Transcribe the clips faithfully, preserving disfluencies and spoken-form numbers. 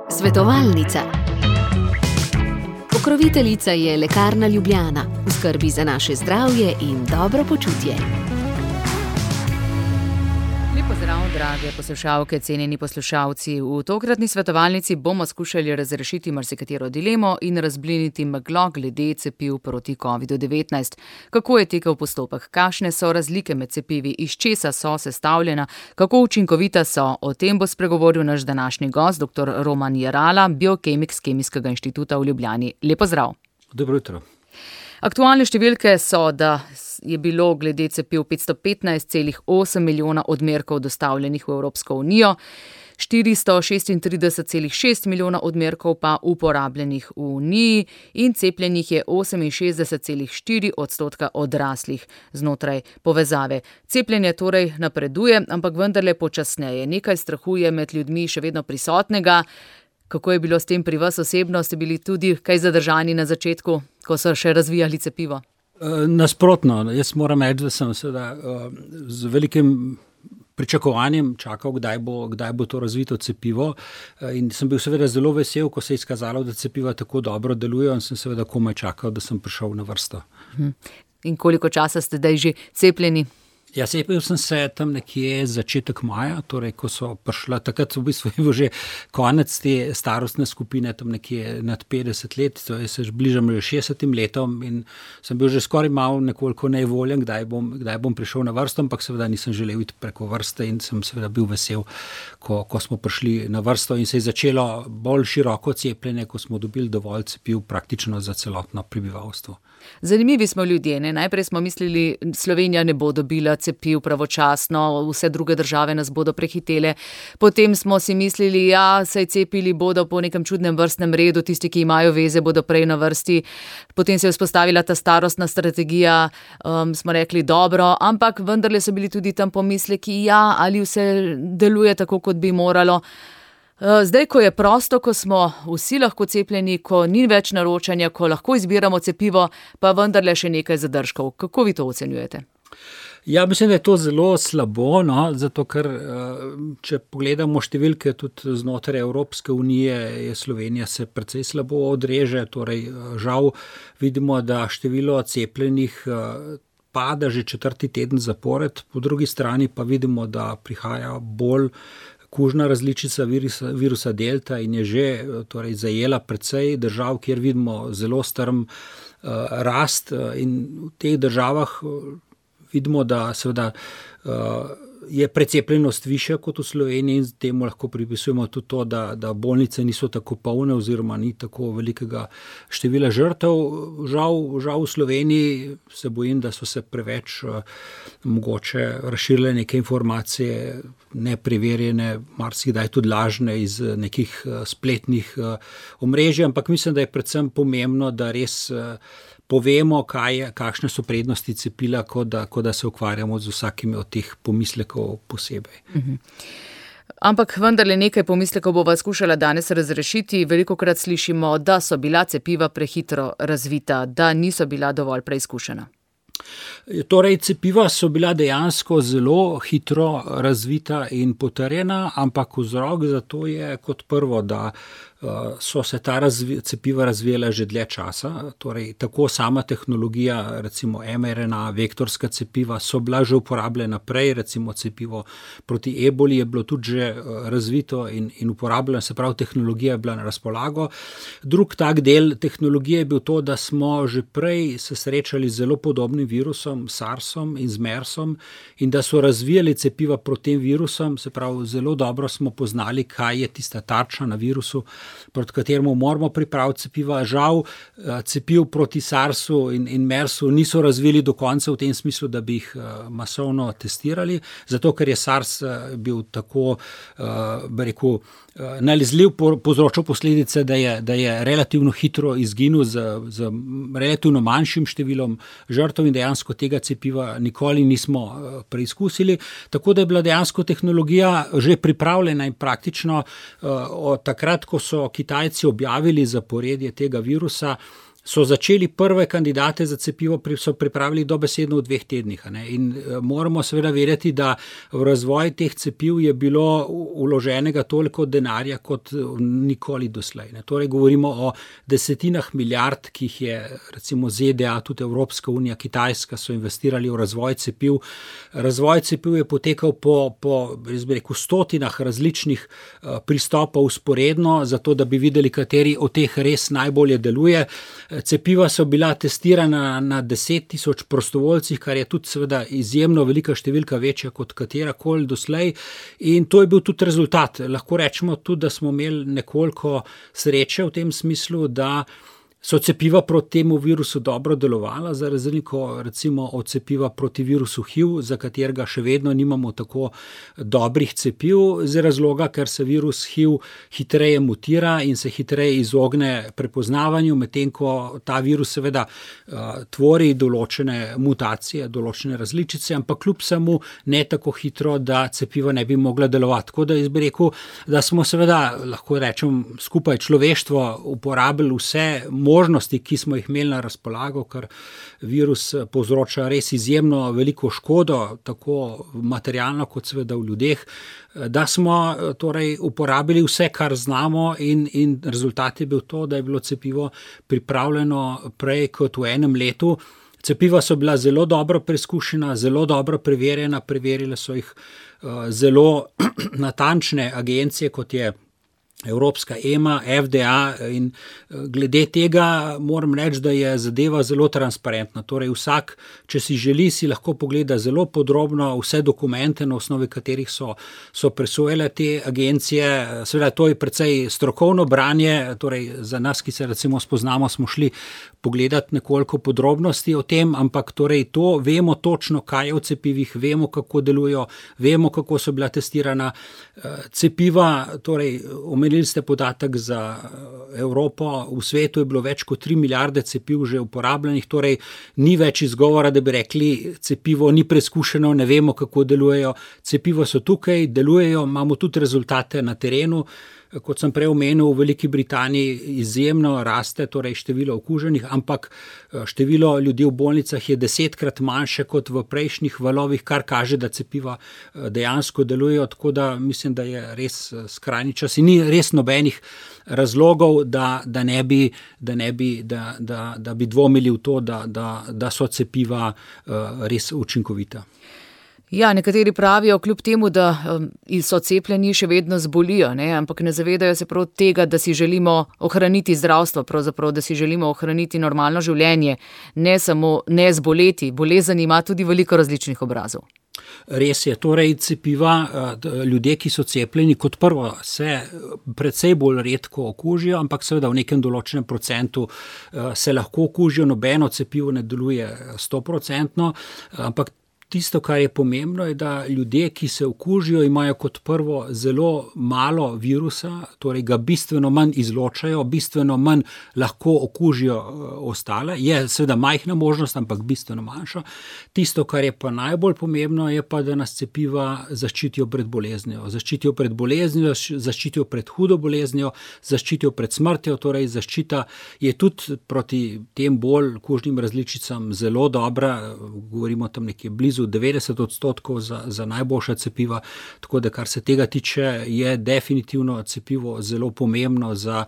Svetovalnica. Pokroviteljica je Lekarna Ljubljana, v skrbi za naše zdravje in dobro počutje. Pozdrav, drage poslušalke, cenjeni poslušalci. V tokratni svetovalnici bomo skušali razrešiti marsikatero dilemo in razbliniti meglo glede cepiv proti kovidu devetnajst. Kako je tekel postopek, kakšne so razlike med cepivi, iz česa so sestavljena, kako učinkovita so, o tem bo spregovoril naš današnji gost, doktor Roman Jerala, biokemik s Kemijskega inštituta v Ljubljani. Lep pozdrav. Dobro jutro. Aktualne številke so, da je bilo glede cepiv petsto petnajst celih osem milijona odmerkov dostavljenih v Evropsko unijo, štiristo šestintrideset celih šest milijona odmerkov pa uporabljenih v Uniji in cepljenih je oseminšestdeset celih štiri odstotka odraslih znotraj povezave. Cepljenje torej napreduje, ampak vendarle počasneje. Nekaj strahu je med ljudmi še vedno prisotnega. Kako je bilo s tem pri vas osebno? Ste bili tudi kaj zadržani na začetku, ko so še razvijali cepivo? Nasprotno, jaz moram reči, da sem seveda z velikim pričakovanjem čakal, kdaj bo, kdaj bo to razvito cepivo, in sem bil seveda zelo vesel, ko se je izkazalo, da cepiva tako dobro delujejo, in sem seveda komaj čakal, da sem prišel na vrsto. In koliko časa ste zdaj že cepljeni? Ja, cepil sem se tam nekje začetek maja, torej ko so prišla, takrat v bistvu je bil že konec te starostne skupine, tam nekje nad petdeset let, to je se bližam že šestdesetim letom in sem bil že skoraj malo nekoliko nevoljen, kdaj bom, kdaj bom prišel na vrsto, ampak seveda nisem želel iti preko vrste in sem seveda bil vesel, ko, ko smo prišli na vrsto in se je začelo bolj široko cepljenje, ko smo dobili dovolj cepiv praktično za celotno prebivalstvo. Zanimivi smo ljudje, ne? Najprej smo mislili, Slovenija ne bo dobila cepiv pravočasno, vse druge države nas bodo prehitele. Potem smo si mislili, ja, saj cepili bodo po nekem čudnem vrstnem redu, tisti, ki imajo veze, bodo prej na vrsti. Potem se je vzpostavila ta starostna strategija, um, smo rekli dobro, ampak vendarle so bili tudi tam pomisleki, ja, ali vse deluje tako, kot bi moralo. Zdaj, ko je prosto, ko smo vsi lahko cepljeni, ko ni več naročanja, ko lahko izbiramo cepivo, pa vendarle še nekaj zadržkov. Kako vi to ocenjujete? Ja, mislim, da je to zelo slabo, no, zato ker, če pogledamo številke tudi znotraj Evropske unije, je Slovenija se precej slabo odreže, torej žal vidimo, da število cepljenih pada že četrti teden zapored, po drugi strani pa vidimo, da prihaja bolj kužna različica virusa, virusa delta in je že torej, zajela precej držav, kjer vidimo zelo strm uh, rast uh, in v teh državah uh, vidimo, da seveda uh, je precepljenost višja kot v Sloveniji in temu lahko pripisujemo tudi to, da, da bolnice niso tako polne oziroma ni tako velikega števila žrtev. Žal, žal v Sloveniji se bojim, da so se preveč uh, mogoče razširile neke informacije, nepreverjene, marsikdaj tudi lažne iz nekih uh, spletnih uh, omrežij, ampak mislim, da je predvsem pomembno, da res uh, povemo, kaj je, kakšne so prednosti cepila, kot da, kot da se ukvarjamo z vsakimi od teh pomislekov posebej. Mhm. Ampak vendarle nekaj pomislekov bova skušala danes razrešiti. Velikokrat slišimo, da so bila cepiva prehitro razvita, da niso bila dovolj preizkušena. Torej, cepiva so bila dejansko zelo hitro razvita in potrjena, ampak vzrok za to je kot prvo, da so se ta razvi, cepiva razvijala že dlje časa, torej tako sama tehnologija, recimo em er en a, vektorska cepiva so bila že uporabljena prej, recimo cepivo proti eboli je bilo tudi že razvito in, in uporabljeno, se pravi tehnologija je bila na razpolago. Drug tak del tehnologije je bil to, da smo že prej se srečali z zelo podobnim virusom, SARSom in z MERSom in da so razvijali cepiva proti tem virusom, se pravi zelo dobro smo poznali, kaj je tista tarča na virusu, proti kateremu moramo pripraviti cepiva. Žal cepiv proti SARSu in, in MERSu niso razvili do konca v tem smislu, da bi jih masovno testirali, zato ker je SARS bil tako, bi rekel, nalezljiv, povzročil posledice, da je, da je relativno hitro izginil z, z relativno manjšim številom žrtev in dejansko tega cepiva nikoli nismo preizkusili. Tako da je bila dejansko tehnologija že pripravljena in praktično od takrat, ko so Kitajci objavili zaporedje tega virusa, so začeli prve kandidate za cepivo, so pripravili dobesedno v dveh tednih. Ne? In moramo seveda vedeti, da v razvoj teh cepiv je bilo vloženega toliko denarja kot nikoli doslej. Ne? Torej govorimo o desetinah milijard, ki jih je recimo Z D A, tudi Evropska unija, Kitajska so investirali v razvoj cepiv. Razvoj cepiv je potekal po, po jaz bi rekel, stotinah različnih pristopov usporedno, zato da bi videli, kateri od teh res najbolje deluje. Cepiva so bila testirana na deset tisoč prostovoljcih, kar je tudi seveda izjemno velika številka, večja kot katerakoli doslej. In to je bil tudi rezultat. Lahko rečemo tudi, da smo imeli nekoliko sreče v tem smislu, da so cepiva proti temu virusu dobro delovala, za razliko recimo od cepiva proti virusu H I V, za katerega še vedno nimamo tako dobrih cepiv, z razloga, ker se virus H I V hitreje mutira in se hitreje izogne prepoznavanju, medtem ko ta virus seveda uh, tvori določene mutacije, določene različice, ampak kljub samo ne tako hitro, da cepiva ne bi mogla delovati. Tako da jaz bi rekel, da smo seveda, lahko rečem, skupaj človeštvo uporabili vse možnosti, ki smo jih imeli na razpolago, ker virus povzroča res izjemno veliko škodo, tako materialno kot seveda v ljudeh, da smo torej uporabili vse, kar znamo in, in rezultat je bil to, da je bilo cepivo pripravljeno prej kot v enem letu. Cepiva so bila zelo dobro preizkušena, zelo dobro preverjena, preverile so jih uh, zelo natančne agencije, kot je Evropska E M A, F D A, in glede tega moram reči, da je zadeva zelo transparentna. Torej vsak, če si želi, si lahko pogleda zelo podrobno vse dokumente, na osnovi katerih so, so presojale te agencije. Seveda to je precej strokovno branje, torej za nas, ki se recimo spoznamo, smo šli pogledati nekoliko podrobnosti o tem, ampak torej to vemo točno, kaj je v cepivih, vemo, kako delujejo, vemo, kako so bila testirana cepiva. Torej omenili ste podatek za Evropo, v svetu je bilo več kot tri milijarde cepiv že uporabljenih, torej ni več izgovora, da bi rekli, cepivo ni preizkušeno, ne vemo, kako delujejo. Cepivo so tukaj, delujejo, imamo tudi rezultate na terenu. Kot sem prej omenil, v Veliki Britaniji izjemno raste, torej število okuženih, ampak število ljudi v bolnicah je desetkrat manjše kot v prejšnjih valovih, kar kaže, da cepiva dejansko delujejo, tako da mislim, da je res skrajni čas in ni res nobenih razlogov, da, da ne bi, da ne bi, da, da, da bi dvomili v to, da, da, da so cepiva res učinkovita. Ja, nekateri pravijo, kljub temu, da um, so cepljeni, še vedno zbolijo, ne? Ampak ne zavedajo se prav tega, da si želimo ohraniti zdravstvo, pravzaprav, da si želimo ohraniti normalno življenje, ne samo ne zboleti. Bolezen ima tudi veliko različnih obrazov. Res je, torej cepiva, ljudje, ki so cepljeni, kot prvo se precej bolj redko okužijo, ampak seveda v nekem določenem procentu se lahko okužijo, nobeno cepivo ne deluje stoprocentno, ampak tisto, kar je pomembno, je, da ljudje, ki se okužijo, imajo kot prvo zelo malo virusa, torej ga bistveno manj izločajo, bistveno manj lahko okužijo ostale. Je seveda majhna možnost, ampak bistveno manjša. Tisto, kar je pa najbolj pomembno, je pa, da nas cepiva zaščitijo pred boleznijo. Zaščitijo pred boleznijo, zaščitijo pred hudo boleznijo, zaščitijo pred smrtjo, torej zaščita je tudi proti tem bolj kužnim različicam zelo dobra, govorimo tam nekje blizu devetdeset odstotkov za, za najboljša cepiva, tako da kar se tega tiče, je definitivno cepivo zelo pomembno za,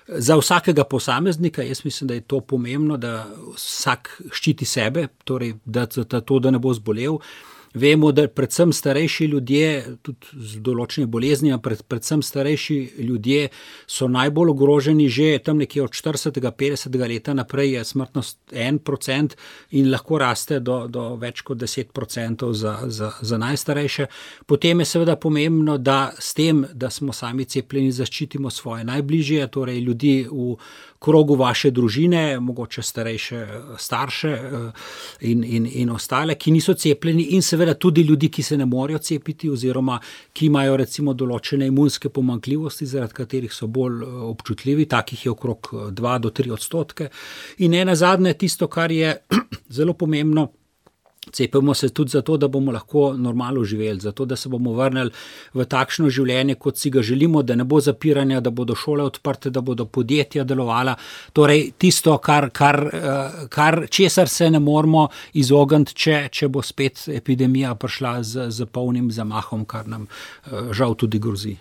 za vsakega posameznika. Jaz mislim, da je to pomembno, da vsak ščiti sebe, torej da, da to, da ne bo zbolel. Vemo, da predvsem starejši ljudje, tudi z določenimi boleznimi, pred, predvsem starejši ljudje so najbolj ogroženi, že tam nekje od štiridesetega, petdesetega leta naprej je smrtnost en procent in lahko raste do, do več kot deset procentov za, za, za najstarejše. Potem je seveda pomembno, da s tem, da smo sami cepljeni, zaščitimo svoje najbližje, torej ljudi v krogu vaše družine, mogoče starejše starše in, in, in ostale, ki niso cepljeni, in seveda tudi ljudi, ki se ne morejo cepiti oziroma ki imajo recimo določene imunske pomanjkljivosti, zaradi katerih so bolj občutljivi, takih je okrog dva do tri odstotke. In ena zadnje, tisto, kar je zelo pomembno, Cepimo se tudi zato, da bomo lahko normalno živeli, zato, da se bomo vrnili v takšno življenje, kot si ga želimo, da ne bo zapiranja, da bodo šole odprte, da bodo podjetja delovala. Torej, tisto, kar, kar, kar česar se ne moremo izogniti, če, če bo spet epidemija prišla z, z polnim zamahom, kar nam žal tudi grozi.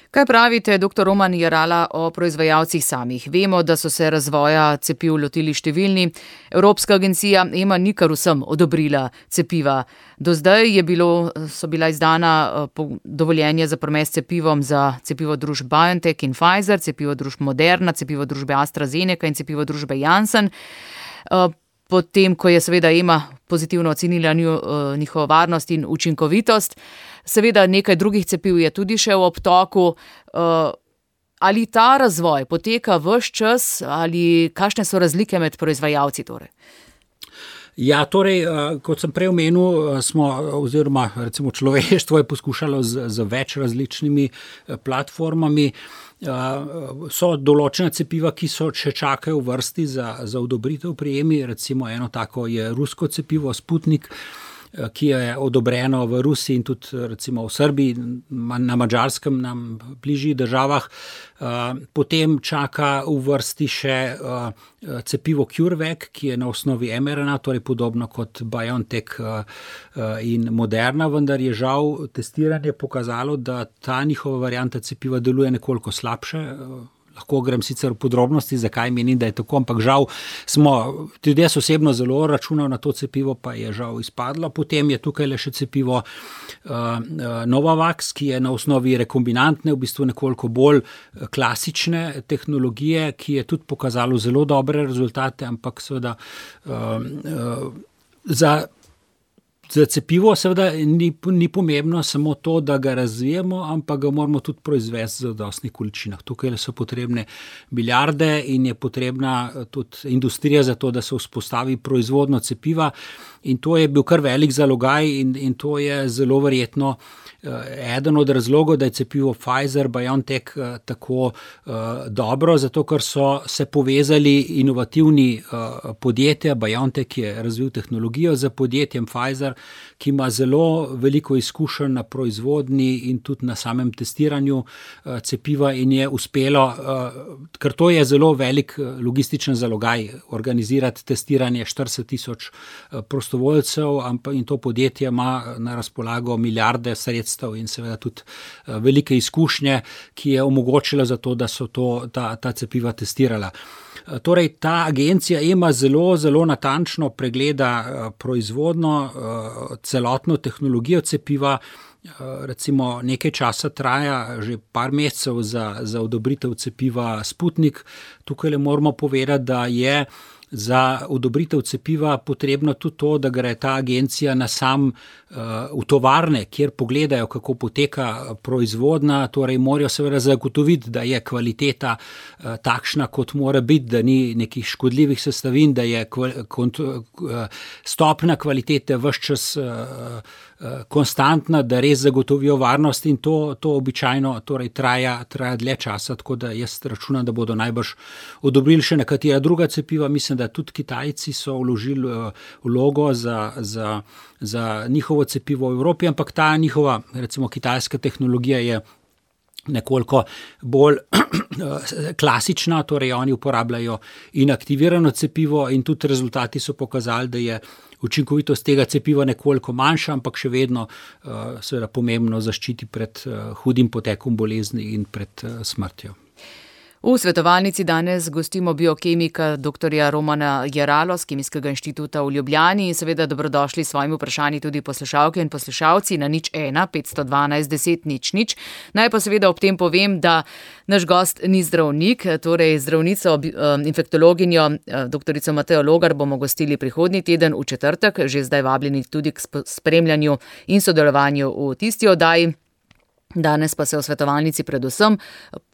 Kaj pravite, doktor Roman Jerala, o proizvajalcih samih? Vemo, da so se razvoja cepiv lotili številni. Evropska agencija E M A ni kar vsem odobrila cepiva. Do zdaj je bilo, so bila izdana dovoljenja za promet s cepivom za cepivo družb BioNTech in Pfizer, cepivo družb Moderna, cepivo družbe AstraZeneca in cepivo družbe Janssen. Potem, ko je seveda E M A pozitivno ocenila njihovo varnost in učinkovitost, seveda nekaj drugih cepiv je tudi še v obtoku. Ali ta razvoj poteka ves čas ali kakšne so razlike med proizvajalci torej? Ja, torej, kot sem prej omenil, smo, oziroma recimo človeštvo je poskušalo z, z več različnimi platformami. So določena cepiva, ki so še čakajo v vrsti za, za odobritev prijemi, recimo eno tako je rusko cepivo Sputnik, ki je odobreno v Rusiji in tudi recimo v Srbiji, na Madžarskem, nam bližjih državah. Potem čaka v vrsti še cepivo CureVac, ki je na osnovi mRNA, torej podobno kot BioNTech in Moderna, vendar je žal testiranje pokazalo, da ta njihova varianta cepiva deluje nekoliko slabše. Lahko grem sicer v podrobnosti, zakaj menim, da je tako, ampak žal smo, tudi jaz osebno zelo računal na to cepivo, pa je žal izpadlo. Potem je tukaj le še cepivo uh, Novavax, ki je na osnovi rekombinantne, v bistvu nekoliko bolj klasične tehnologije, ki je tudi pokazalo zelo dobre rezultate, ampak seveda uh, uh, za Za cepivo seveda ni, ni pomembno samo to, da ga razvijemo, ampak ga moramo tudi proizvesti v zadostnih količinah. Tukaj so potrebne milijarde in je potrebna tudi industrija za to, da se vzpostavi proizvodno cepiva. In to je bil kar velik zalogaj in, in to je zelo verjetno eden od razlogov, da je cepivo Pfizer, BioNTech tako uh, dobro, zato ker so se povezali inovativni uh, podjetja. BioNTech je razvil tehnologijo za podjetjem Pfizer, ki ima zelo veliko izkušenj na proizvodnji in tudi na samem testiranju uh, cepiva in je uspelo, uh, ker to je zelo velik logističen zalogaj, organizirati testiranje štirideset tisoč uh, prostovoljcev in to podjetje ima na razpolago milijarde sredstev in seveda tudi velike izkušnje, ki je omogočila za to, da so to, ta, ta cepiva testirala. Torej, ta agencija E M A zelo, zelo natančno pregleda proizvodno, celotno tehnologijo cepiva. Recimo nekaj časa traja, že par mesecev za, za odobritev cepiva Sputnik. Tukaj le moramo povedati, da je za odobritev cepiva potrebno tudi to, da gre ta agencija na sam uh, v tovarne, kjer pogledajo, kako poteka proizvodnja, torej morajo seveda zagotoviti, da je kvaliteta uh, takšna, kot mora biti, da ni nekih škodljivih sestavin, da je kval, kont, uh, stopna kvalitete ves čas uh, konstantna, da res zagotovijo varnost in to, to običajno torej traja, traja dlje časa, tako da jaz računam, da bodo najbrž odobrili še nekatera druga cepiva. Mislim, da tudi Kitajci so vložili vlogo za, za, za njihovo cepivo v Evropi, ampak ta njihova, recimo kitajska tehnologija je nekoliko bolj klasična, torej oni uporabljajo inaktivirano cepivo in tudi rezultati so pokazali, da je učinkovitost tega cepiva nekoliko manjša, ampak še vedno uh, seveda pomembno zaščiti pred uh, hudim potekom bolezni in pred uh, smrtjo. V svetovalnici danes gostimo biokemika doktorja Romana Jeralo z Kemijskega inštituta v Ljubljani in seveda dobrodošli s svojimi vprašanji tudi poslušalke in poslušalci na nič ena petsto dvanajst deset nič nič. Naj pa seveda ob tem povem, da naš gost ni zdravnik, torej zdravnico, infektologinjo doktorico Matejo Logar bomo gostili prihodnji teden v četrtek, že zdaj vabljeni tudi k spremljanju in sodelovanju v tisti oddaji. Danes pa se v svetovalnici predvsem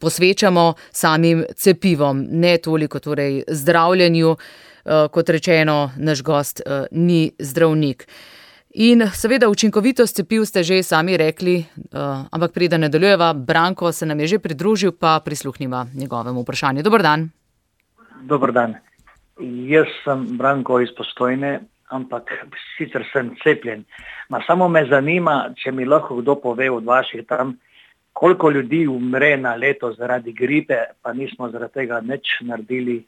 posvečamo samim cepivom, ne toliko torej zdravljenju, kot rečeno, naš gost ni zdravnik. In seveda učinkovitost cepiv ste že sami rekli, ampak preden nadaljujeva, Branko se nam je že pridružil, pa prisluhnimo njegovemu vprašanju. Dober dan. Dober dan. Jaz sem Branko iz Postojne, ampak sicer sem cepljen. Ma samo me zanima, če mi lahko kdo pove od vaših tam, koliko ljudi umre na leto zaradi gripe, pa nismo zaradi tega nič naredili,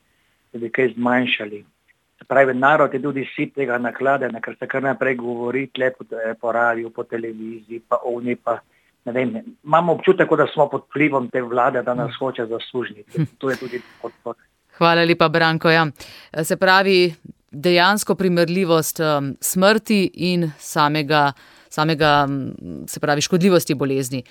da bi kaj zmanjšali. Pravi, narod je tudi si tega nakladena, ker se kar naprej govori tle po, po radiju, po televiziji, pa oni pa, ne vem, imamo občutek, da smo pod vplivom te vlade, da nas hoče zaslužiti. To je tudi podpor. Hvala lepa, Branko. Ja. Se pravi, dejansko primerljivost um, smrti in samega, samega, se pravi, škodljivosti bolezni.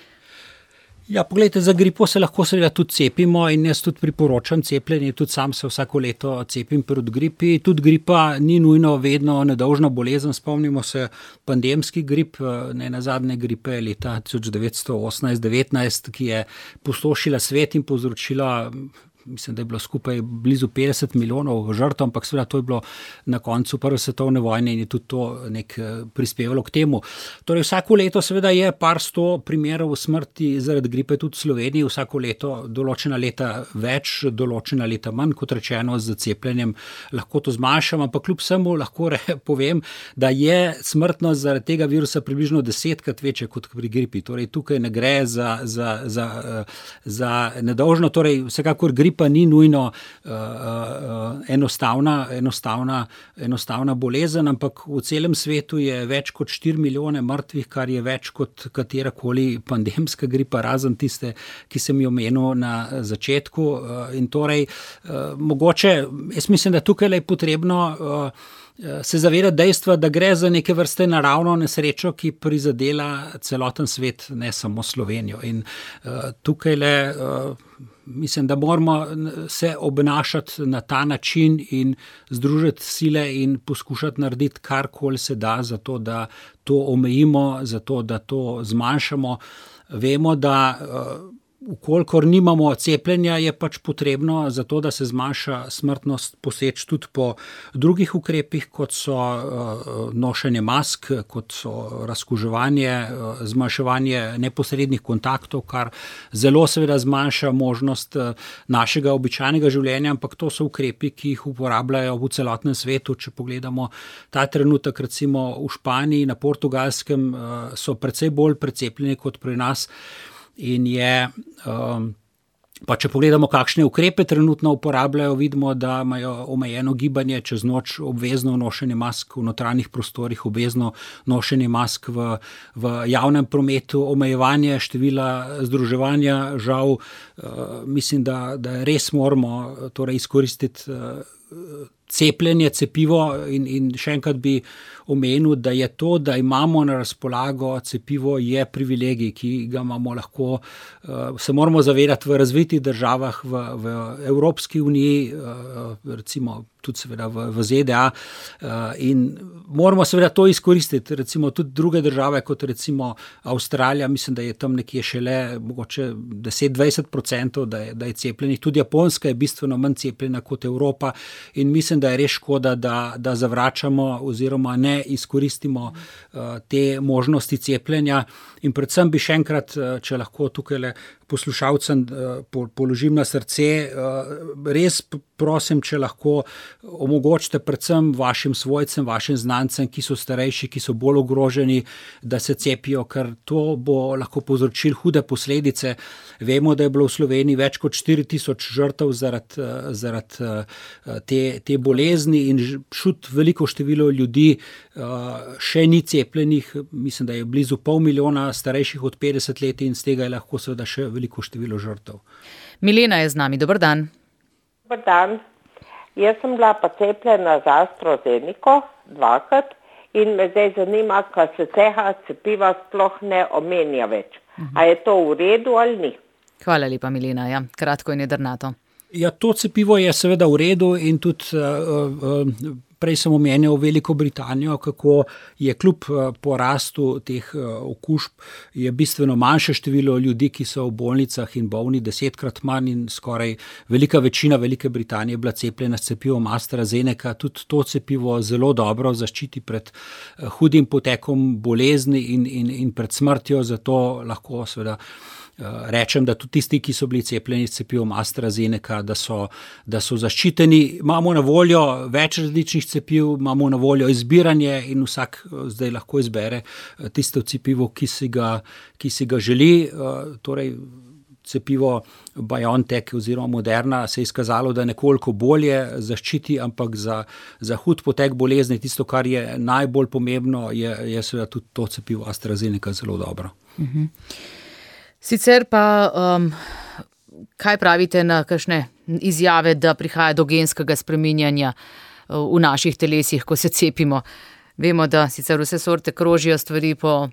Ja, pogledajte, za gripo se lahko seveda tudi cepimo in jaz tudi priporočam cepljenje, tudi sam se vsako leto cepim proti gripi. Tudi gripa ni nujno vedno nedolžna bolezen, spomnimo se pandemski grip, ne nazadnje gripe leta tisoč devetsto osemnajst devetnajst, ki je pustošila svet in povzročila, mislim, da je bilo skupaj blizu petdeset milijonov žrtev, ampak seveda to je bilo na koncu prve svetovne vojne in je tudi to nek prispevalo k temu. Torej vsako leto seveda je par sto primerov smrti zaradi gripe tudi v Sloveniji, vsako leto določena leta več, določena leta manj, kot rečeno z cepljenjem lahko to zmanjšam, ampak kljub vsemu lahko re, povem, da je smrtnost zaradi tega virusa približno desetkrat večja kot pri gripi. Torej tukaj ne gre za, za, za, za nedolžno, torej vsekakor gripa pa ni nujno uh, uh, enostavna, enostavna, enostavna bolezen, ampak v celem svetu je več kot štiri milijone mrtvih, kar je več kot katerakoli pandemska gripa, razen tiste, ki sem jo omenil na začetku. Uh, in torej, uh, mogoče, jaz mislim, da tukaj je potrebno uh, se zavedati dejstva, da gre za neke vrste naravno nesrečo, ki prizadela celoten svet, ne samo Slovenijo. In uh, tukaj le uh, mislim, da moramo se obnašati na ta način in združiti sile in poskušati narediti karkoli se da za to, da to omejimo, za to, da to zmanjšamo. Vemo, da uh, Vkolikor nimamo cepljenja, je pač potrebno za to, da se zmanjša smrtnost, poseči tudi po drugih ukrepih, kot so nošenje mask, kot so razkuževanje, zmanjševanje neposrednih kontaktov, kar zelo seveda zmanjša možnost našega običajnega življenja, ampak to so ukrepi, ki jih uporabljajo v celotnem svetu. Če pogledamo ta trenutek, recimo v Španiji, na Portugalskem, so precej bolj precepljeni kot pri nas. In je, pa če pogledamo, kakšne ukrepe trenutno uporabljajo, vidimo, da imajo omejeno gibanje, čez noč obvezno nošenje mask v notranjih prostorih, obvezno nošenje mask v, v javnem prometu, omejevanje števila združevanja. Žal, mislim, da, da res moramo torej izkoristiti cepljenje, cepivo in, in še enkrat bi omenil, da je to, da imamo na razpolago cepivo, je privilegij, ki ga imamo lahko, se moramo zavedati v razvitih državah, v, v Evropski uniji, recimo tudi seveda v, v Z D A, in moramo seveda to izkoristiti, recimo tudi druge države, kot recimo Avstralija, mislim, da je tam nekje šele mogoče deset do dvajset procentov, da je, da je cepljenih, tudi Japonska je bistveno manj cepljena kot Evropa in mislim, da je res škoda, da, da zavračamo oziroma ne izkoristimo uh, te možnosti cepljenja. In predvsem bi še enkrat, če lahko tukaj le poslušalcem položim na srce, res prosim, če lahko omogočite predvsem vašim svojcem, vašim znancem, ki so starejši, ki so bolj ogroženi, da se cepijo, ker to bo lahko povzročilo hude posledice. Vemo, da je bilo v Sloveniji več kot štiri tisoč žrtev zaradi, zaradi te, te bolezni in šut veliko število ljudi še ni cepljenih, mislim, da je blizu pol milijona starejših od petdeset let in z tega je lahko seveda še veliko število žrtev. Milena je z nami, dober dan. Dobar dan. Jaz sem bila pa cepljena za AstraZeneco dvakrat in me zdaj zanima, kaj se tega cepiva sploh ne omenja več. Uh-huh. A je to v redu ali ni? Hvala lepa, Milena. Ja, kratko in jedrnato. Ja, to cepivo je seveda v redu in tudi uh, uh, prej sem omenil Veliko Britanijo, kako je kljub uh, porastu teh uh, okužb je bistveno manjše število ljudi, ki so v bolnicah in bolni, desetkrat manj in skoraj velika večina Velike Britanije je bila cepljena s cepivom AstraZeneca. Tudi to cepivo zelo dobro zaščiti pred uh, hudim potekom bolezni in, in, in pred smrtjo, zato lahko seveda rečem, da tudi tisti, ki so bili cepljeni s cepivom AstraZeneca, da so, da so zaščiteni. Imamo na voljo več različnih cepiv, imamo na voljo izbiranje in vsak zdaj lahko izbere tisto cepivo, ki si ga, ki si ga želi. Torej, cepivo BioNTech oziroma Moderna se je izkazalo, da nekoliko bolje zaščiti, ampak za, za hud potek bolezni, tisto, kar je najbolj pomembno, je, je seveda tudi to cepivo AstraZeneca zelo dobro. Mhm. Sicer pa, um, kaj pravite na kakšne izjave, da prihaja do genskega spreminjanja v naših telesih, ko se cepimo? Vemo, da sicer vse sorte krožijo stvari po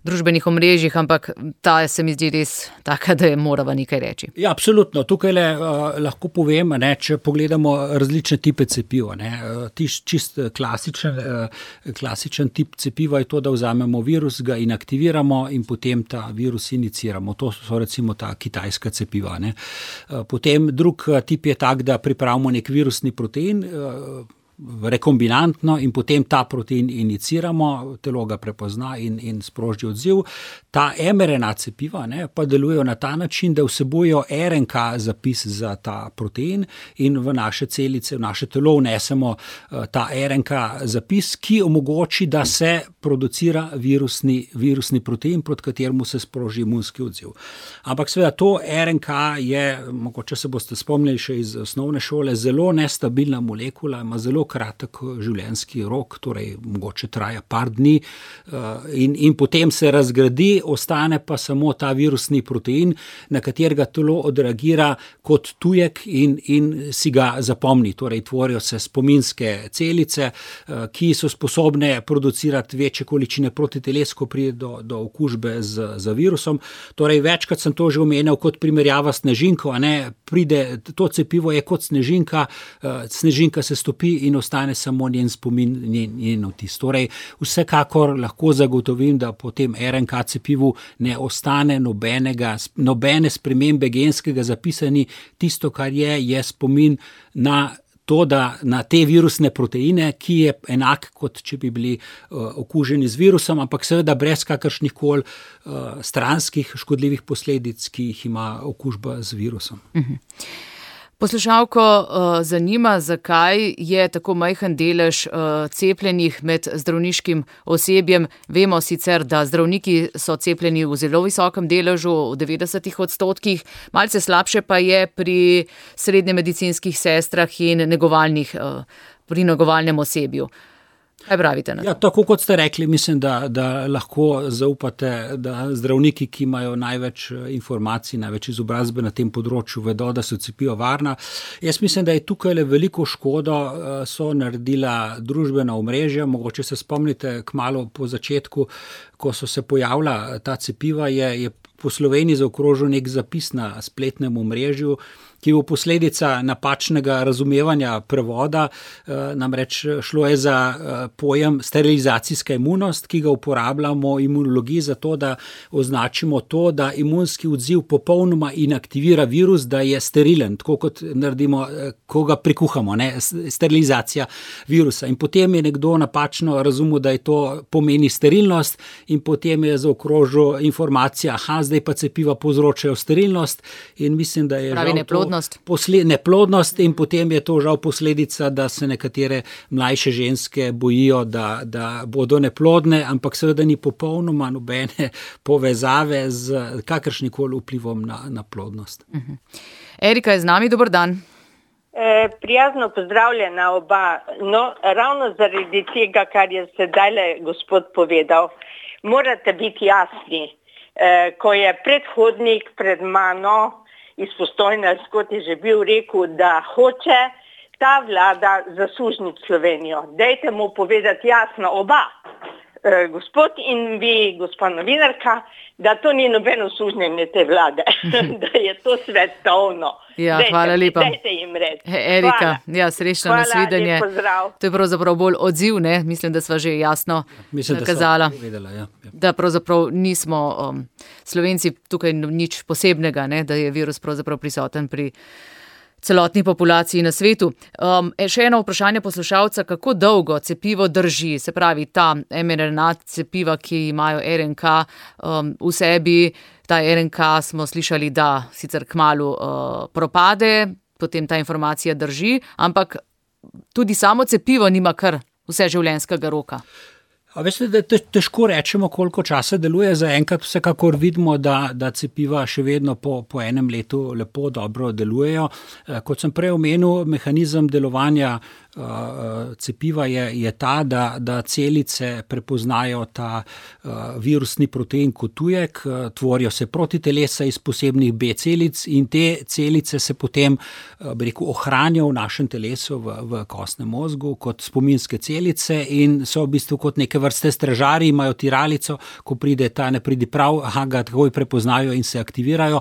družbenih omrežjih, ampak ta se mi zdi res taka, da je morava nekaj reči. Ja, absolutno. Tukaj le, uh, lahko povem, ne, če pogledamo različne tipe cepiva. Ne, uh, čist klasičen, uh, klasičen tip cepiva je to, da vzamemo virus, ga inaktiviramo in potem ta virus iniciramo. To so recimo ta kitajska cepiva. Ne. Uh, potem drug tip je tak, da pripravimo nek virusni protein, uh, rekombinantno in potem ta protein iniciramo, telo ga prepozna in, in sproži odziv. Ta mRNA cepiva ne, pa delujejo na ta način, da vsebujejo er en ka zapis za ta protein in v naše celice, v naše telo vnesemo ta er en ka zapis, ki omogoči, da se producira virusni, virusni protein, proti kateremu se sproži imunski odziv. Ampak seveda to er en ka je, mogoče se boste spomnili še iz osnovne šole, zelo nestabilna molekula, ima zelo kratek življenjski rok, torej mogoče traja par dni in, in potem se razgradi, ostane pa samo ta virusni protein, na katerega telo odreagira kot tujek in, in si ga zapomni. Torej tvorijo se spominske celice, ki so sposobne producirati večje količine protiteles, ko pride do, do okužbe z, z virusom. Torej večkrat sem to že omenil kot primerjava s snežinko, a ne, pride, to cepivo je kot snežinka, snežinka se stopi in ostane samo njen spomin, njen, njen vtis. Torej, vsekakor lahko zagotovim, da po tem er en ka cepivu ne ostane nobenega, nobene spremembe genskega zapisa, ni tisto, kar je, je spomin na to, da na te virusne proteine, ki je enak, kot če bi bili uh, okuženi z virusom, ampak seveda brez kakršnih koli uh, stranskih škodljivih posledic, ki jih ima okužba z virusom. Mhm. Poslušalko uh, zanima, zakaj je tako majhen delež uh, cepljenih med zdravniškim osebjem. Vemo sicer, da zdravniki so cepljeni v zelo visokem deležu, v devetdesetih odstotkih, malce slabše pa je pri srednje medicinskih sestrah in negovalnih, uh, pri negovalnem osebju. Kaj pravite na to? Ja, tako kot ste rekli, mislim, da, da lahko zaupate, da zdravniki, ki imajo največ informacij, največ izobrazbe na tem področju, vedo, da so cepiva varna. Jaz mislim, da je tukaj le veliko škodo so naredila družbena omrežja. Mogoče se spomnite, kmalu po začetku, ko so se pojavila ta cepiva, je, je po Sloveniji zaokrožil nek zapis na spletnem omrežju, ki je posledica napačnega razumevanja prevoda, namreč šlo je za pojem sterilizacijska imunost, ki ga uporabljamo v imunologiji za to, da označimo to, da imunski odziv popolnoma inaktivira virus, da je sterilen, tako kot naredimo, ko ga prikuhamo, ne, sterilizacija virusa. In potem je nekdo napačno razumel, da je to pomeni sterilnost in potem je zaokrožil informacija, aha, zdaj pa cepiva povzročajo sterilnost in mislim, da je pravi neplodnost. Posle, neplodnost in potem je to žal posledica, da se nekatere mlajše ženske bojijo, da, da bodo neplodne, ampak seveda ni popolnoma nobene povezave z kakršnikoli vplivom na, na plodnost. Uh-huh. Erika je z nami, dober dan. E, prijazno pozdravljena oba. No, ravno zaradi tega, kar je sedaj gospod povedal, morate biti jasni. E, ko je predhodnik pred mano iz Postojne, kot je že bil rekel, da hoče ta vlada zasužniti Slovenijo. Dajte mu povedati jasno oba, e, gospod in vi, gospa novinarka, da to ni nobeno sužnjenje te vlade, da je to svetovno. Ja, dejte, hvala lepa. Dajte jim reči. Erika, ja, srečno nasvidenje. Hvala, to je pravzaprav bolj odziv, ne? Mislim, da sva že jasno Mislim, nakazala, da, vedela, ja, ja. da pravzaprav nismo um, Slovenci tukaj nič posebnega, ne? Da je virus pravzaprav prisoten pri celotni populaciji na svetu. Um, še eno vprašanje poslušalca, kako dolgo cepivo drži, se pravi ta mRNA cepiva, ki imajo er en ka um, v sebi, Ta R N K smo slišali, da sicer kmalu uh, propade, potem ta informacija drži, ampak tudi samo cepivo nima kar vseživljenjskega roka. A veste, da težko rečemo, koliko časa deluje. Zaenkrat vsekakor vidimo, da, da cepiva še vedno po, po enem letu lepo, dobro delujejo. Kot sem prej omenil, mehanizem delovanja uh, cepiva je, je ta, da, da celice prepoznajo ta uh, virusni protein kot tujek, uh, tvorijo se protitelesa iz posebnih B celic in te celice se potem uh, bi rekel, ohranijo v našem telesu, v, v kostnem mozgu, kot spominske celice in so v bistvu kot neke vrste stražari, imajo tiralico, ko pride ta nepridiprav, aha, ga takoj prepoznajo in se aktivirajo.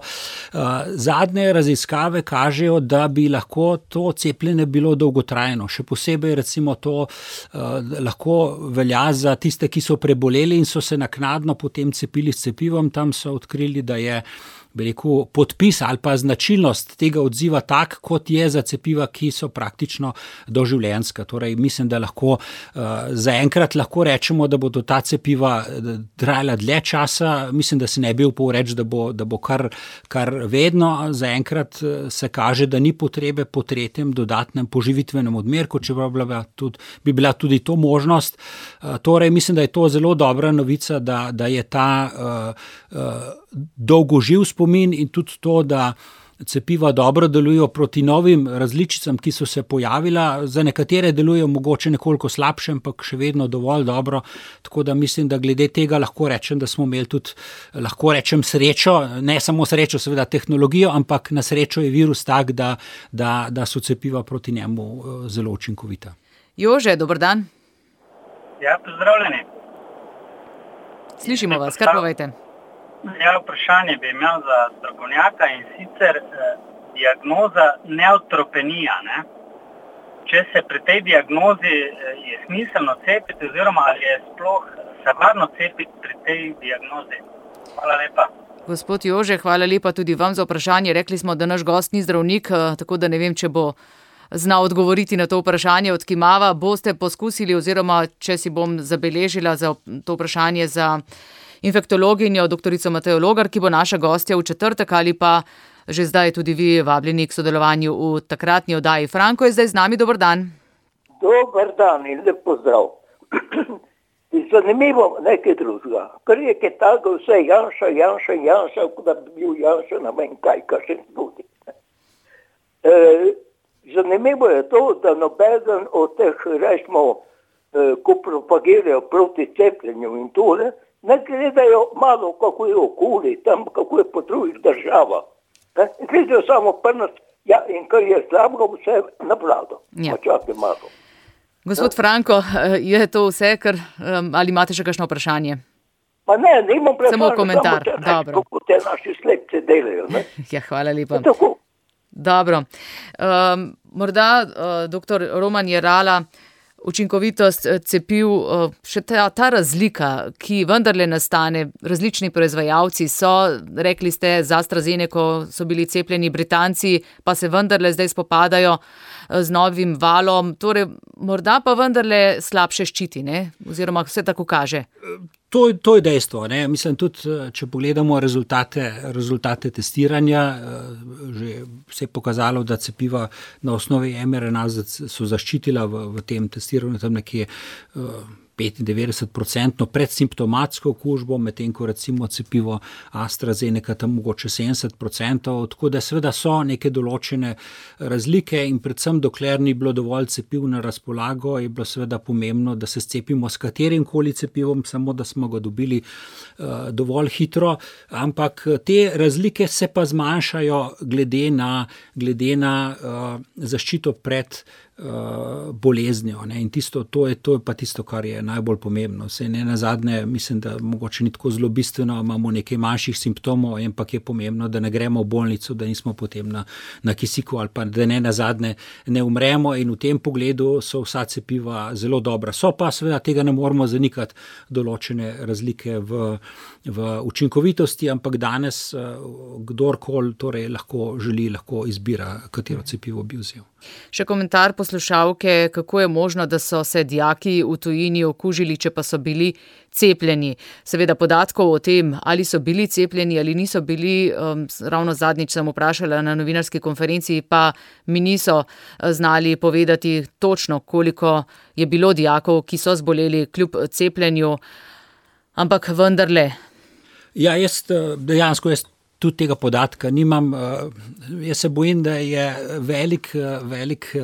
Zadnje raziskave kažejo, da bi lahko to cepljenje bilo dolgotrajno. Še posebej recimo to lahko velja za tiste, ki so preboleli in so se naknadno potem cepili s cepivom. Tam so odkrili, da je bi rekel, podpis ali pa značilnost tega odziva tak, kot je za cepiva, ki so praktično doživljenjska. Torej, mislim, da lahko zaenkrat lahko rečemo, da bodo ta cepiva trajala dlje časa. Mislim, da se ne bi upal reči, da bo, da bo kar, kar vedno. Zaenkrat se kaže, da ni potrebe po tretjem dodatnem poživitvenem odmerku, čeprav bi bila tudi, bi bila tudi to možnost. Torej, mislim, da je to zelo dobra novica, da, da je ta uh, uh, dolgoživ spomin in tudi to, da cepiva dobro delujejo proti novim različicam, ki so se pojavila. Za nekatere delujejo mogoče nekoliko slabše, ampak še vedno dovolj dobro. Tako da mislim, da glede tega lahko rečem, da smo imeli tudi, lahko rečem, srečo, ne samo srečo, seveda tehnologijo, ampak na srečo je virus tak, da, da, da so cepiva proti njemu zelo učinkovita. Jože, dober dan. Ja, pozdravljeni. Slišimo vas, kar povejte. Ja, vprašanje bi imel za strokovnjaka in sicer eh, diagnoza neotropenija. Ne? Če se pri tej diagnozi eh, je smiselno cepiti oziroma ali je sploh se varno cepiti pri tej diagnozi? Hvala lepa. Gospod Jože, hvala lepa tudi vam za vprašanje. Rekli smo, da naš gost ni zdravnik, eh, tako da ne vem, če bo znal odgovoriti na to vprašanje, odkimava. Boste poskusili oziroma, če si bom zabeležila za to vprašanje za infektologinjo, doktorico Matejo Logar, ki bo naša gostja v četrtek ali pa že zdaj tudi vi vabljeni k sodelovanju v takratni oddaji. Franko je zdaj z nami, dober dan. Dober dan in lep pozdrav. Zanimivo nekaj drugega. Ker je kaj tako vse Janša, Janša, Janša, kot da bi bil Janša na meni kaj, kar še tudi. E, zanimivo je to, da nobeden od teh, rečemo, e, ko propagirajo proti cepljenju in tole, ne gledajo malo, kako je okoli, tam, kako je po drugih državah. Ne? Gledajo samo prnost, ja, in kar je slabko, vse na vlado. Ja. Počakaj malo. Gospod Franko, je to vse, kar, ali imate še kakšno vprašanje? Pa ne, nimam vprašanje. Samo komentar, samo dobro. Kako te naši slepce delajo, ne? Ja, hvala lepa. Tako. Dobro. Um, morda, uh, doktor Roman Jerala, učinkovitost cepiv, še ta, ta razlika, ki vendarle nastane, različni proizvajalci so, rekli ste, za AstraZeneco so bili cepljeni Britanci, pa se vendarle zdaj spopadajo z novim valom, torej morda pa vendarle slabše ščiti, ne? Oziroma vse tako kaže. To, to je dejstvo. Ne? Mislim tudi, če pogledamo rezultate, rezultate testiranja, že se je pokazalo, da cepiva na osnovi mRNA so zaščitila v, v tem testiranju tam nekje petindevetdeset procentno predsimptomatsko okužbo, medtem ko recimo cepivo AstraZeneca tam mogoče sedemdeset procentov, tako da seveda so neke določene razlike in predvsem dokler ni bilo dovolj cepiv na razpolago, je bilo seveda pomembno, da se cepimo s katerim koli cepivom, samo da smo ga dobili uh, dovolj hitro, ampak te razlike se pa zmanjšajo glede na, glede na uh, zaščito pred boleznjo. Ne? In tisto, to je, to je pa tisto, kar je najbolj pomembno. Sej ne nazadnje, mislim, da mogoče ni tako zelo bistveno, imamo nekaj manjših simptomov, ampak je pomembno, da ne gremo v bolnico, da nismo potem na, na kisiku ali pa da ne nazadnje ne umremo in v tem pogledu so vsa cepiva zelo dobra. So pa seveda tega ne moramo zanikati določene razlike v, v učinkovitosti, ampak danes kdorkoli torej lahko želi, lahko izbira, katero cepivo bi vzel. Še komentar poslušalke, kako je možno, da so se dijaki v tujini okužili, če pa so bili cepljeni. Seveda podatkov o tem, ali so bili cepljeni ali niso bili, um, ravno zadnjič sem vprašala na novinarski konferenci, pa mi niso znali povedati točno, koliko je bilo dijakov, ki so zboleli kljub cepljenju, ampak vendarle. Ja, jaz dejansko jaz tudi tega podatka nimam. Jaz se bojim, da je velik, velik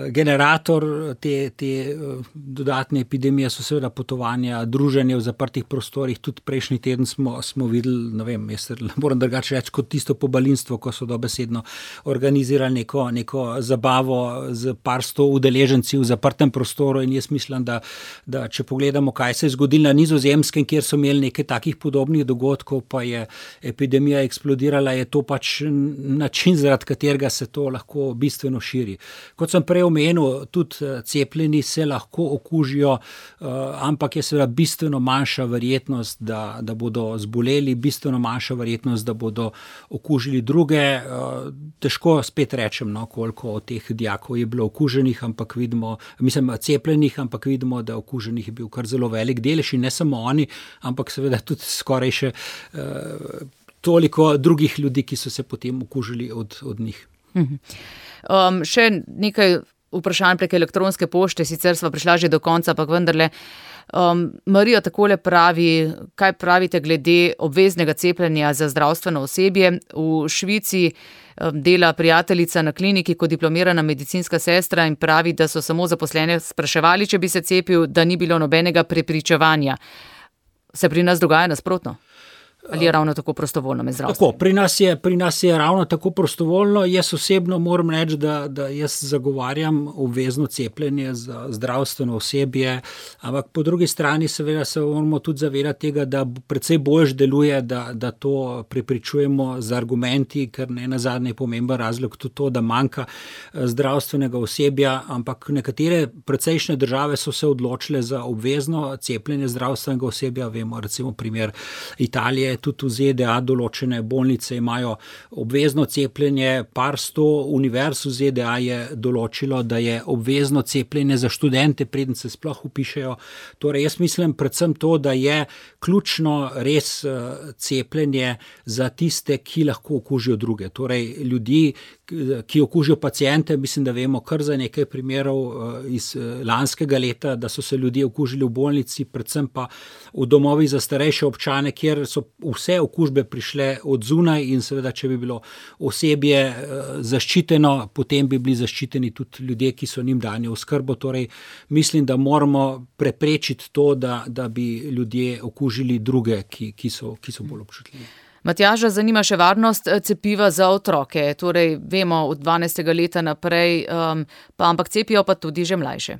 generator te, te dodatne epidemije so seveda potovanja, druženje v zaprtih prostorih. Tudi prejšnji teden smo, smo videli, ne vem, jaz moram drugače reči, kot tisto pobalinstvo, ko so dobesedno organizirali neko, neko zabavo z par sto udeleženci v zaprtem prostoru in jaz mislim, da, da če pogledamo, kaj se je zgodilo na Nizozemskem, kjer so imeli nekaj takih podobnih dogodkov, pa je epidemija eksplodirala, je to pač način, zaradi katerega se to lahko bistveno širi. Kot sem prej omenil, tudi cepljeni se lahko okužijo, ampak je seveda bistveno manjša verjetnost, da, da bodo zboleli, bistveno manjša verjetnost, da bodo okužili druge. Težko spet rečem, no, koliko od teh dijakov je bilo okuženih, ampak vidimo, mislim, cepljenih, ampak vidimo, da okuženih je bil kar zelo velik delež in ne samo oni, ampak seveda tudi skoraj še toliko drugih ljudi, ki so se potem okužili od, od njih. Um, še nekaj vprašanj prek elektronske pošte, sicer sva prišla že do konca, pa vendarle. Um, Marija takole pravi, kaj pravite glede obveznega cepljenja za zdravstveno osebje. V Švici um, dela prijateljica na kliniki kot diplomirana medicinska sestra in pravi, da so samo zaposlene spraševali, če bi se cepil, da ni bilo nobenega prepričevanja. Se pri nas dogaja nasprotno? Ali je ravno tako prostovoljno med zdravstvom? Tako, pri nas je, pri nas je ravno tako prostovoljno. Jaz osebno moram reči, da, da jaz zagovarjam obvezno cepljenje za zdravstveno osebje, ampak po drugi strani seveda se moramo tudi zavedati tega, da precej boljš deluje, da, da to prepričujemo z argumenti, ker ne nazadnje je pomemben razlog tudi to, da manjka zdravstvenega osebja, ampak nekatere precejšnje države so se odločile za obvezno cepljenje zdravstvenega osebja. Vemo recimo primer Italije, tudi v Z D A določene bolnice imajo obvezno cepljenje, par sto univerz v Z D A je določilo, da je obvezno cepljenje za študente, preden se sploh vpišejo. Torej, jaz mislim predvsem to, da je ključno res cepljenje za tiste, ki lahko okužijo druge. Torej, ljudi, ki okužijo paciente, mislim, da vemo kar za nekaj primerov iz lanskega leta, da so se ljudje okužili v bolnici, predvsem pa v domovih za starejše občane, kjer so vse okužbe prišle od zunaj in seveda, če bi bilo osebje zaščiteno, potem bi bili zaščiteni tudi ljudje, ki so njim dani v oskrbo. Torej, mislim, da moramo preprečiti to, da, da bi ljudje okužili druge, ki, ki so, ki so bolj občutljivi. Matjaža zanima še varnost cepiva za otroke. Torej, vemo od dvanajstega leta naprej, um, pa ampak cepijo pa tudi že mlajše.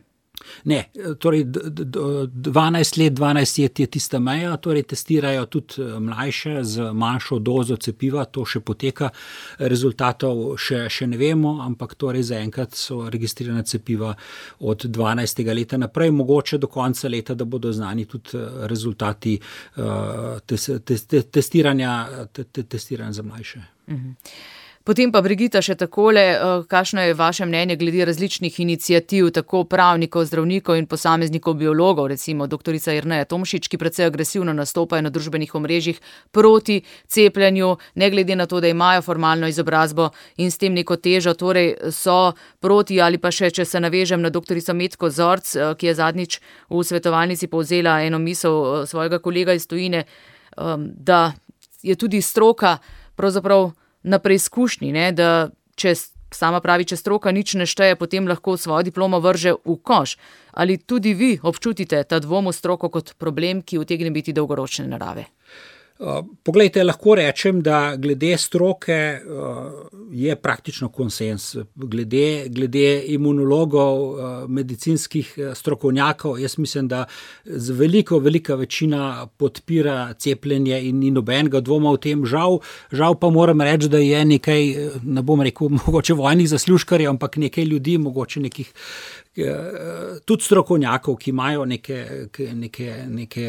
Ne, torej dvanajst let, dvanajst let je tista meja, torej testirajo tudi mlajše z manjšo dozo cepiva, to še poteka, rezultatov še, še ne vemo, ampak torej zaenkrat so registrirane cepiva od dvanajstega leta naprej, mogoče do konca leta, da bodo znani tudi rezultati uh, tes, tes, tes, testiranja, te, te, testiranja za mlajše. Mhm. Potem pa, Brigita, še takole, kakšno je vaše mnenje glede različnih iniciativ, tako pravnikov, zdravnikov in posameznikov biologov, recimo doktorica Jerneja Tomšič, ki precej agresivno nastopajo na družbenih omrežjih proti cepljenju, ne glede na to, da imajo formalno izobrazbo in s tem neko težo, torej so proti, ali pa še, če se navežem na doktorico Metko Zorc, ki je zadnjič v svetovalnici povzela eno misel svojega kolega iz tujine, da je tudi stroka pravzaprav na preizkušnji, ne, da če sama pravi, če stroka nič ne šteje, potem lahko svojo diplomo vrže v koš. Ali tudi vi občutite ta dvom v stroko kot problem, ki utegne biti dolgoročne narave? Poglejte, lahko rečem, da glede stroke je praktično konsens. Glede, glede imunologov, medicinskih strokovnjakov, jaz mislim, da z veliko, velika večina podpira cepljenje in ni nobenega dvoma v tem. Žal, žal pa moram reči, da je nekaj, ne bom rekel, mogoče vojnih zaslužkarjev, ampak nekaj ljudi, mogoče nekih tudi strokovnjakov, ki imajo neke, neke, neke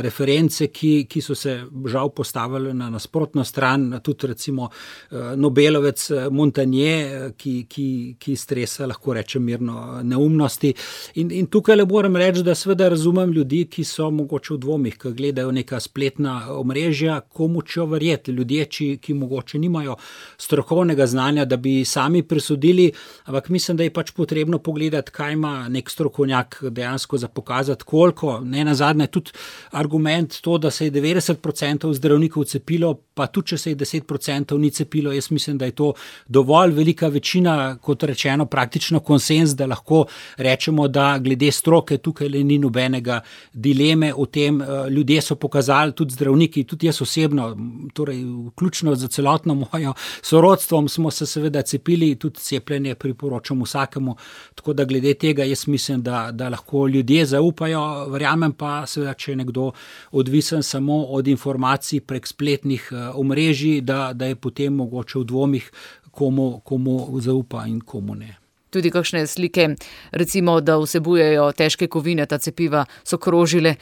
reference, ki, ki so se žal postavili na nasprotno stran, tudi recimo Nobelovec Montagnier, ki, ki, ki stresa, lahko rečem mirno, neumnosti. In, in tukaj le moram reči, da seveda razumem ljudi, ki so mogoče v dvomih, ki gledajo neka spletna omrežja, komu čo verjeti. Ljudje, ki, ki mogoče nimajo strokovnega znanja, da bi sami presodili, ampak mislim, da je pač potrebno pogledati, kaj ima nek strokovnjak dejansko za pokazati, koliko. Ne nazadnje tudi argument to, da se je devetdeset procentov zdravnikov cepilo, pa tudi če se je deset procentov ni cepilo, jaz mislim, da je to dovolj velika večina, kot rečeno, praktično konsens, da lahko rečemo, da glede stroke tukaj le ni nobenega dileme o tem. Ljudje so pokazali, tudi zdravniki, tudi jaz osebno, torej vključno za celotno mojo sorodstvom smo se seveda cepili, tudi cepljenje priporočam vsakemu, tako da glede tega jaz mislim, da, da lahko ljudje zaupajo, verjamem pa seveda, če je nekdo odvisen samo od informacij prek spletnih omrežij, da, da je potem mogoče v dvomih, komu, komu zaupa in komu ne. Tudi kakšne slike, recimo, da vsebujejo težke kovine, ta cepiva so krožile.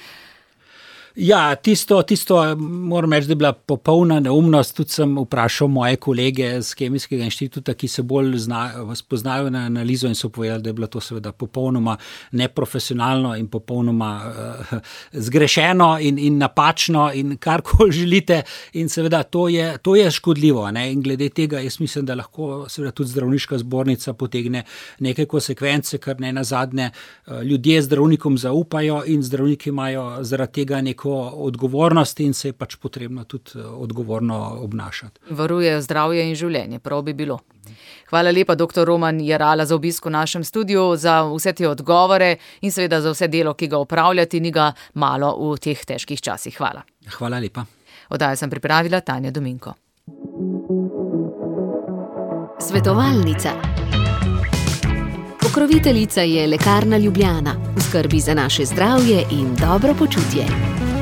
Ja, tisto, tisto moram reči, da je bila popolna neumnost. Tudi sem vprašal moje kolege z Kemijskega inštituta, ki se bolj zna, spoznajo na analizo in so povedali, da je bilo to seveda popolnoma neprofesionalno in popolnoma uh, zgrešeno in, in napačno in karkoli želite. In seveda to je, to je škodljivo. Ne? In glede tega jaz mislim, da lahko seveda tudi zdravniška zbornica potegne neke konsekvence, ker ne nazadnje uh, ljudje zdravnikom zaupajo in zdravniki imajo zaradi tega neko odgovornost in se je pač potrebno tudi odgovorno obnašati. Varujejo zdravje in življenje, prav bi bilo. Hvala lepa, doktor Roman Jerala, za obisk v našem studiu, za vse te odgovore in seveda za vse delo, ki ga opravljate, ni ga malo v teh težkih časih. Hvala. Hvala lepa. Oddajo sem pripravila Tanja Dominko. Svetovalnica. Pokroviteljica je Lekarna Ljubljana, v skrbi za naše zdravje in dobro počutje.